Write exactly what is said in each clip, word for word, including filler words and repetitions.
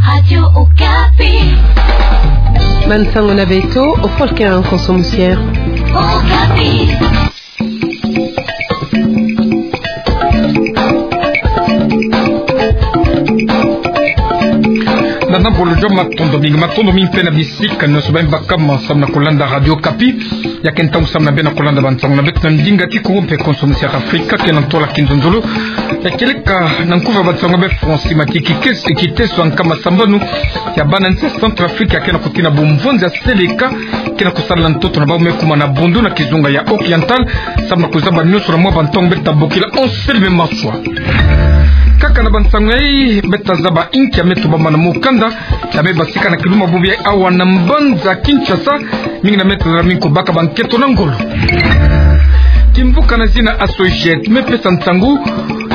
Radio Okapi. Bansango na beto, o Volker Nkonso Musiere. Okapi. Nana bolo jo matondo mingi, matondo mingi mpe na bisika nyonso bami baka masamu na kolanda Radio Okapi. Ya ke ntangu samu na beno na kolanda bansango na beto na ndinga Kikongo mpe Konso Musiere Afrika, ke na ntwala kinzonzolo. Ya kieleka na nkufi ya bansango ya be François Matiki, kiteso ya nkama sambanu ya bana nsi ya Centrafrique ya ke na kutina bumvonzi ya seleka ke na kusala na ntoto na bau me kuma na Bondo na kizunga ya Oriental, samu na kuzaba nyonso na mwa bantangu beta bokila Anselme Maswa. Kaka na bansango yayi beta zaba inki ya me tubama na mukanda ya me basika na kiluma bubu yayi awa na mbanza Kinshasa, mingi na meta zala mingi kubaka bankento na ngolo. Kimvuka na zina Associate me pesa nsangu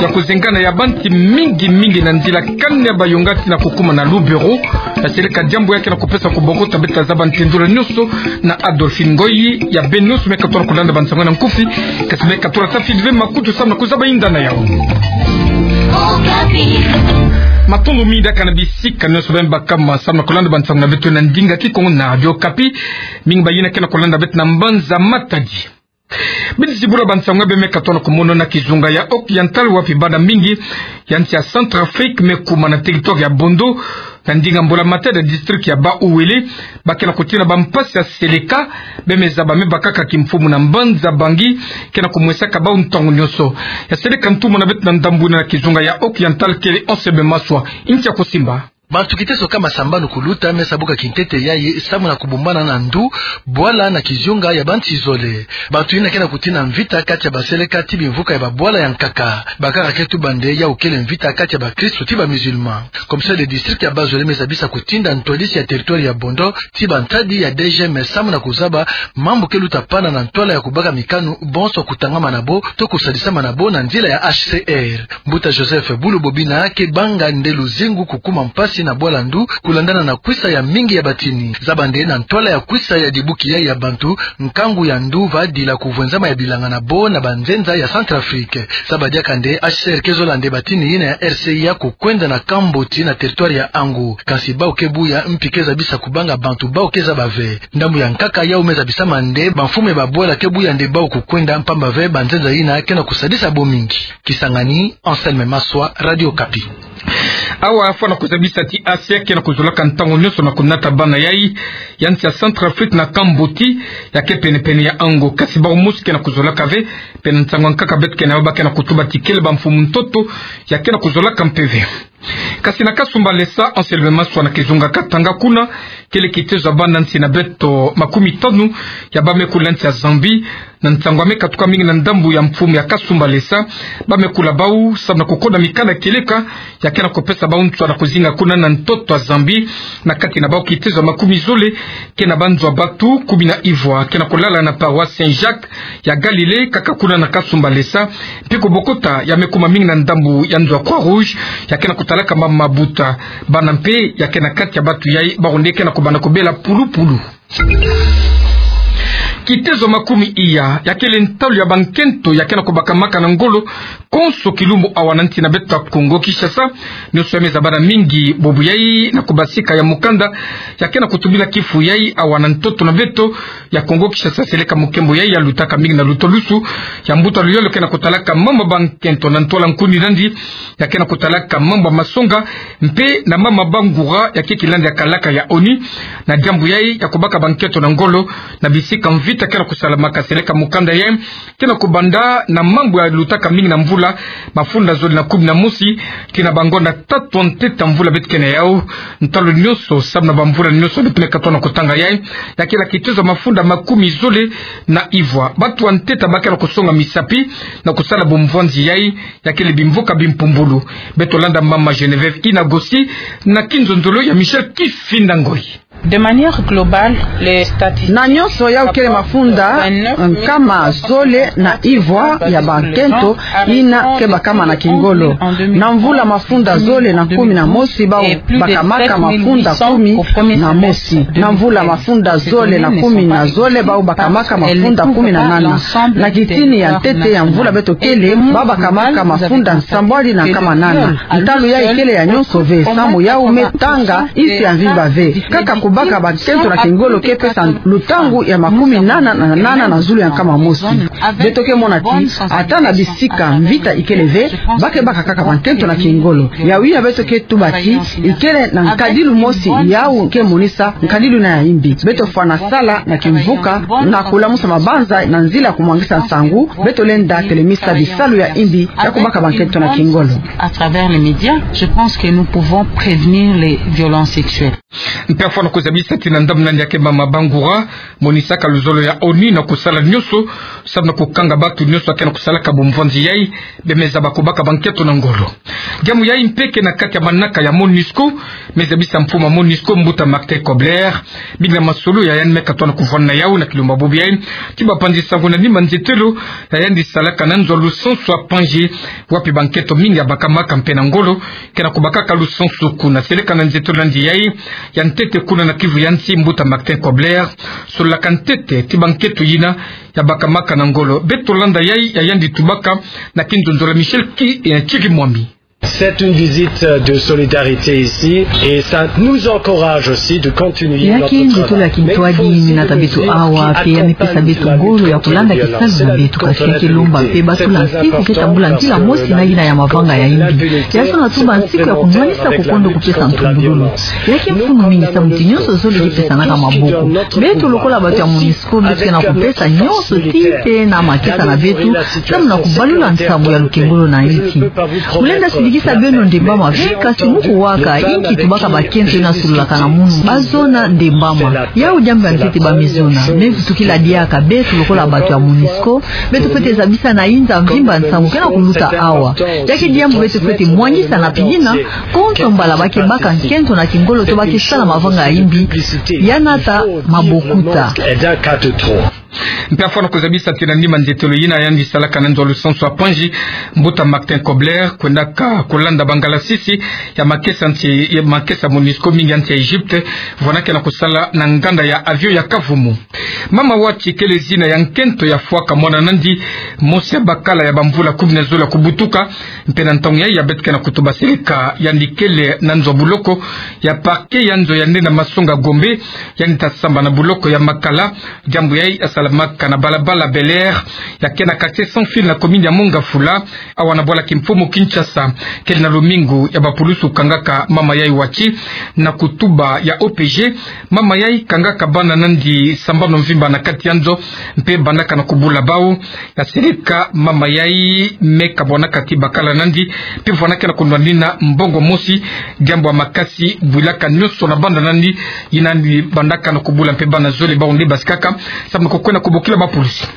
ya kuzengana ya banti mingi mingi na nzila kani ya Bayonga tii na kukuma na Lubero. Ya seleka diambu ya ke na kupesa kubokota, beta zaba ntendula nyonso na Adolphine Ngoyi. Ya beno nyonso me katola kulanda bansango na nkufi, kasi me katola tafidi ve makutu samu na kuzaba inda na yau. Matondo mingi diaka na bisika nyonso bami baka masamu na kolanda bansango na beto na ndinga Kikongo na Radio Okapi. Mingi bayina ke na kolanda beto na mbanza Matadi. Bidi zibula bansango ya be me katola kumono na kizunga ya Oriental, wapi bana mingi ya nsi ya Centrafrique me kuma na territoire ya Bondo, na ndinga mbula-matadi ya district ya Bas-Uele, ba ke na kutina bampasi ya seleka. Be me zaba me bakaka kimfumu na mbanza Bangui ke na kumwesaka bau ntangu nyonso. Ya seleka ntumwa na beto na ndambu yina na kizunga ya Oriental kele Anselme Maswa. Inki ya kusimba. Bantu kiteso kama sambanu kuluta me sabuka kintete yayi samu na kubumbana na ndu, bwala na kizunga ya banti zole. Bantu yina ke na kutina mvita kati ya baseleka tii bimvuka ya babwala ya nkaka. Bakaka ke tuba nde yawu kele mvita kati ya bakristu tii ba musulman. Commissaire de district ya Bas-Uele me zabisa kutinda ntwadisi ya territoire ya Bondo tii bantadi ya D G M samu na kuzaba mambu ke luta pana na ntwala ya kubaka mikanu bonso kutangama na bo to kusadisama na bo na nzila ya H C R. Mbuta Joseph Bulu Bobina ke banga nde luzingu kukuma mpasi na bwala ndu, kulandana na kwisa ya mingi ya batini. Zaba nde na ntwala ya kwisa ya dibuki yayi ya bantu, nkangu ya ndu va dila kuvwenzama ya bilanga na bo na banzenza ya Centrafrique. Zaba diaka nde H C R ke zola nde batini yina ya R C I ya kukwenda na Kamboti na territoire ya Ango. Kansi bau ke buya, mpi ke zabisa kubanga bantu bau ke zaba ve. Ndambu ya nkaka yawu me zabisama nde bamfumu ya babwala ke buya nde bau kukwenda, mpamba ve banzenza yina ke na kusadisa bo mingi. Kisangani, Anselme Maswa, Radio Okapi. Awa fwana kuzabisa ti H C R ke na kuzolaka ntangu nyonso na kunata bana yayi ya nsi ya Centrafrique na Kamboti, ya ke pene-pene ya Ango. Kasi bau mosi ke na kuzolaka ve, pene nsangu ya nkaka beto ke na yo, ba ke na kutuba ti kele bamfumu ntoto ya ke na kuzolaka mpe ve. Kasi na Kasumbalesa, Anselme Maswa, na kizunga Katanga kuna, kele kitezo ya bana nsi na beto makumi tanu ya ba me kula nsi ya Zambie. Na nsangu ya me katuka mingi na ndambu ya mfumu ya Kasumbalesa, ba me kula bau samu na kukoda mikanda kieleka ya ke na kupesa bau nswa na kuzinga kuna na ntoto ya Zambie. Na kati na bau kitezo ya makumi zole ke na banzo ya batu kumi na ivwa ke na kulala na paroisse Saint-Jacques ya Galilée, kaka kuna na Kasumbalesa. Mpi kubokota ya me kuma mingi na ndambu ya nzo ya Croix-Rouge ya ke na kutalaka mama mabuta. Bana mpe ya ke na kati ya batu yayi, bau nde ke na kubanda kubela pulupulu. Kitezo makumi iya ya kele ntalu ya bankento ya ke na kubakamaka na ngolo konso kilumbu awa na nsi na beto ya Kongo Kinshasa. Nyonso ya me zabana mingi bubu yayi na kubasika ya mukanda ya ke na kutubila kifu yayi awa na ntoto na beto ya Kongo Kinshasa. Seleka mukembo yayi ya lutaka mingi na lutulusu ya mbuta Luyolo ke na kutalaka mama bankento na ntwala nkuni nandi, ya ke na kutalaka mama masonga mpe na mama bangura ya ke kilandi ya kalaka ya ONU. Na diambu yayi ya kubaka bankento na ngolo na bisika mvita ke na kusalamaka, seleka mukanda yayi ke na kubanda na mambu ya lutaka mingi na mvula mafunda zole na kumi na mosi tii na bangonda tatu ya ntete ya mvula beto ke na yau. Ntalu nyonso samu na bamvula nyonso beto me katola na kutanga yayi, ya kele kitezo ya mafunda makumi zole na ivwa. Batu ya ntete ba ke na kusonga misapi na kusala bumvwanzi yayi, ya kele bimvuka bimpumbulu. Beto landa mama Geneviève Inagosi na kinzonzolo ya Michel Kifinda Ngoyi. De manière globale, les statistiques... Na nyonso, yau kele mafunda nkama zole na ivwa ya bankento yina kebakama na kingolo. Na mvula mafunda zole na kumi na mosi, bau bakamaka mafunda kumi na mosi. Na mvula mafunda zole na kumi na zole, bau bakamaka mafunda kumi na nana. Na kitini ya ntete ya mvula beto kele, bau bakamaka mafunda nsambwadi na nkama nana. Ntalu yai kele ya nyonso ve, samu yau me tanga nsi ya mvimba ve. Kaka kubaka bankento na kingolo ke pesa lutangu ya makumi nana na nana na zulu ya nkama mosi. Beto ke mona ti, ata na bisika mvita ikele ve, ba ke baka kaka bankento na kingolo. Yau yina beto ke tuba ti, ikele na nkadilu mosi yau ke monisa nkadilu yina ya imbi. Beto fwana sala na kimvuka, na kulamusa mabanza na nzila kumwangisa nsangu, beto lenda telemisa bisalu ya imbi ya kubaka bankento na kingolo. À travers les médias, je pense que nous pouvons prévenir les violences sexuelles. Mpe afwana kuzabisa ti na ndambu nani ya ke mama Bangoura, monisaka luzolo ya ONU na kusala nyonso, samu na kukanga batu nyonso ya ke na kusalaka bumvwanzi yai, bie me zaba kubaka bankento na ngolo. Diambu yai mpe ke na kati ya manaka ya MONUSCO, me zabisa mfumu ya MONUSCO, mbuta Martin Kobler, bina masolo ya yandi me katona kuvwanda na yau na kilumba bubu yai, ti bapanzi nsangu na nima nzietelo ya yandi salaka na nzo ya lusansu ya Pangi, wapi bankento mingi ya bakamaka mpe na ngolo, ke na kubakaka lusansu kuna. Seleka na nzietelo nandi yai, ya ntete kuna na Kivu ya nsi, mbuta Martin Kobler sololaka ntete ti bankento yina ya bakamaka na ngolo. Beto landa yai ya yandi tubaka na kinzonzolo ya Michel Ki-, eh, Kirimwami. C'est une visite de solidarité ici et ça nous encourage aussi de continuer notre travail. Ya ke nzietolo ya kintwadi mi nata beto awa, mpe ya me pesa beto ngolo ya kulanda kisalu na beto, kasi ya ke lomba mpe batula nsiku ke tambula mpila mosi na yina ya mavanga ya imbi. Ya zona tuba nsiku ya kunwanisa kukondo kupesa ntumbululu. Ya ke mfunu mingi samu ti nyonso zole ke pesanaka maboko. Beto lokola batu ya MONUSCO, beto ke na kupesa nyonso tii tee na makesa na beto, samu na kubalula nsamu ya lukengolo na nsi. Kulenda sidikisa beno ndembama ve, kasi mu kuwaka, inki tubaka bakento yina sololaka na munu, bazona ndembama. Yau diambu ya ntete ba me zona, me vutukila diaka beto lokola batu ya MONUSCO, beto fwete zabisa na inza mvimba nsangu ke na kuluta awa. Ya ke diambu beto fwete mwangisa na piyina, konso mbala ba ke baka nkento na kingolo to ba ke sala mavanga ya imbi, ya nata mabokuta. Mpe afwana kuzabisa ti na nima nzietolo yina yandi salaka na nzo ya lusansu ya Pangi, mbuta Martin Kobler kwendaka kulanda bangalasisi ya makesa nsi, ya makesa MONUSCO mingi ya nsi ya Egypte, vwana ke na kusala na nganda ya avion ya Kavumu. Mama Wati kele zina ya nkento ya fwaka mwana nandi, mosi ya bakala ya bamvula kumi na zole ya kubutuka, mpe na ntangu yai ya beto ke na kutuba seleka yandi kele na nzo ya buloko ya parquet ya nzo ya nde na masonga Gombe, yandi ta samba na buloko ya Makala. Diambu yai ya salamaka na balabala Bel Air, ya ke na quartier Sans Fil na commune ya Mont-Ngafula, awa na bwala kimfumu Kinshasa. Kele na lumingu ya bapulusu kangaka mama yai Wati na kutuba ya O P G. Mama yai kangaka bana nandi sambanu mvimba na kati ya nzo, mpe bandaka na kubula bau. Ya seleka mama yai me kabwanaka ti bakala nandi, mpe vwana ke na kunwanina mbongo mosi, diambu ya makasi bwilaka nyonso na banda nandi, yina nandi bandaka na kubula mpe bana zole bau nde basikaka, samu na kukwenda kubokila bapulusu.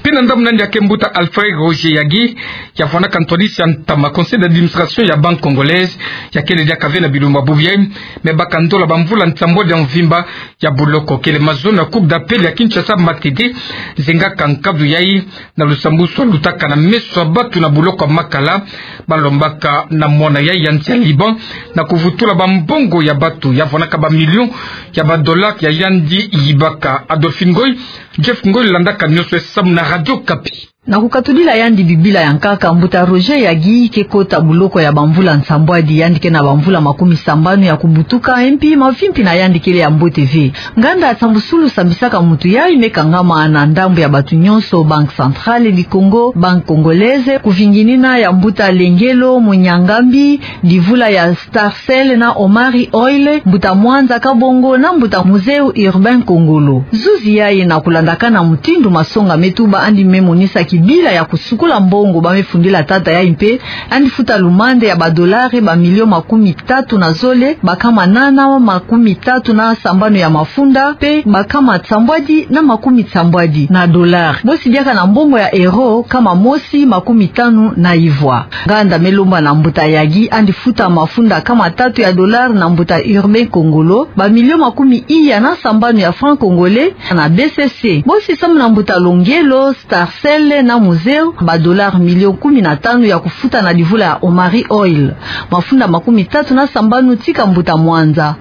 Mpe na ndambu nandi ya ke mbuta Alfred Roger Yagi, ya vwanaka ntwadisi ya ntama conseil d'administration ya Banque Congolaise, ya kele diaka ve na bilumbu bubu yai, me baka ndola bamvula nsambwadi ya mvimba ya buloko. Kele mazono ya Cour d'appel ya Kinshasa, Matete, zengaka nkadu yai na lusambwasu lutaka na meso ya batu na buloko ya Makala, balombaka na mwana yai ya nsi ya Liban na kuvutula bambongo ya batu, ya vwanaka ba millions ya ba dollars ya yandi yibaka. Adolphine Ngoy, Jeff Ngoy landaka nyonso esamu na Radio Okapi. Na kukatudila yandi Bibila ya nkaka, mbuta Roger Yagi ke kota buloko ya bamvula nsambwadi, yandi ke na bamvula makumi sambanu ya kubutuka, mpi mavimpi na yandi kele ya mbote ve. Nganda ya sambusulu sambisaka mutu yai me kangama na ndambu ya batu nyonso, Banque Centrale du Congo, Banque Congolaise, kuvinginina ya mbuta Lengelo Munyangambi, ndivula ya Starcel na Omari Oil, mbuta Mwanza Kabongo na mbuta Muzeu Urbain Kongolo. Zuzi yai na kulandakana mutindu masonga me tuba, yandi me monisa Bila ya kusukula mbongo, ba me fundila tata yayi mpe, yandi futa lumande ya ba dolari ba milio makumi tatu na zole, ba kama nana makumi tatu na sambanu ya mafunda, mpe ba kama sambwadi na makumi sambwadi na dolari. Bosi biaka na mbongo ya euro, kama mosi makumi tanu na ivwa. Nganda me lomba na mbuta Yagi, yandi futa mafunda kama tatu ya dolari na mbuta Urbain Kongolo, ba milio makumi iya na sambanu ya franc congolais na B C C. Bosi samu na mbuta Longelo, Starcell na Muzeu, ba dolari milio kumi na tanu ya kufuta na livula ya Omari Oil. Mafunda makumi tatu na sambanu tika mbuta Mwanza.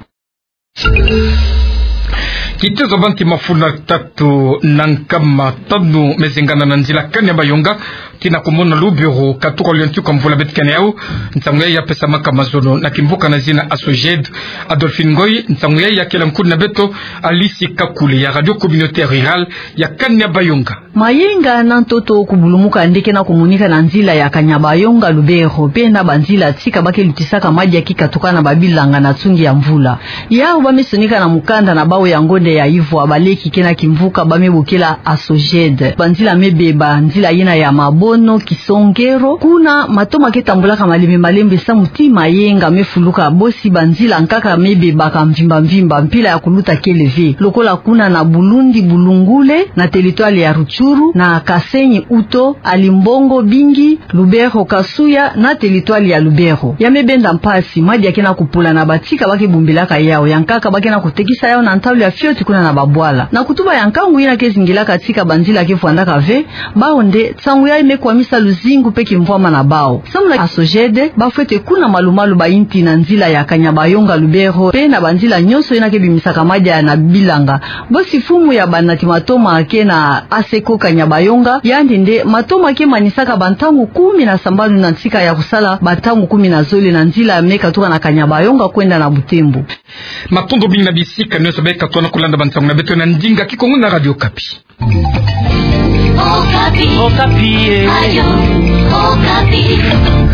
Kitezo banti mafunda tatu na nkama tanu me zengana na nzila Kanya Bayonga, tina kumona Lubero, katuka lio ntuka mvula betikene yau. Nsangu yayi ya pesamaka mazono na kimvuka na zina ASSOGED. Adolphine Ngoy, nsangu yayi ya kela nkudi na beto Alice Kakule ya Radio Communautaire Rurale ya Kanya Bayonga. Mayenga na ntoto kubulumuka nde ke na kumonika na nzila ya Kanya Bayonga Lubero, mpe na banzila tika ba ke lutisaka madia ki katuka na babilanga na tsungi ya mvula. Yau ba me sonika na mukanda na bau ya ngonde ya ivwa, baleki ke na kimvuka ba me bokela ASSOGED. Banzila me beba, nzila yina ya Mabono, Kisongero, kuna matoma ke tambulaka malembe malembe samu ti mayenga me fuluka, bosi banzila nkaka me bebaka mvimba mvimba, mpila ya kuluta kele ve. Lokola kuna na Bulundi Bulungule, na territoire ya Rutshuru, na Kasenyi Uto, Alimbongo Bingi, Lubero Kasuya, na territoire ya Lubero. Ya me benda mpasi, madia ke na kupola na batika ba ke bombilaka yau, ya nkaka ba ke na kutekisa yau na ntalu ya fioti kuna na babwala. Na kutuba ya nkangu yina ke zingilaka tika banzila ke vwandaka ve, bau nde, nsangu yayi me kwamisa luzingu mpe kimvwama na bau. Samu na ASSOGED, ba fwete kuna malumalu bayinti na nzila ya Kanya Bayonga Lubero, mpe na banzila nyonso yina ke bimisaka madia na bilanga. Bosi mfumu ya banati matoma ke na ASECO Kanya Bayonga, yandi nde matoma ke manisaka bantangu kumi na sambanu na ntika ya kusala bantangu kumi na zole na nzila me katuka na Kanya Bayonga kwenda na Butembo. Matondo mingi na bisika nyonso ba ke katuka na kulanda bansangu na beto na ndinga Kikongo na Radio Okapi. Okapi. Okapi, eh. Radio Okapi.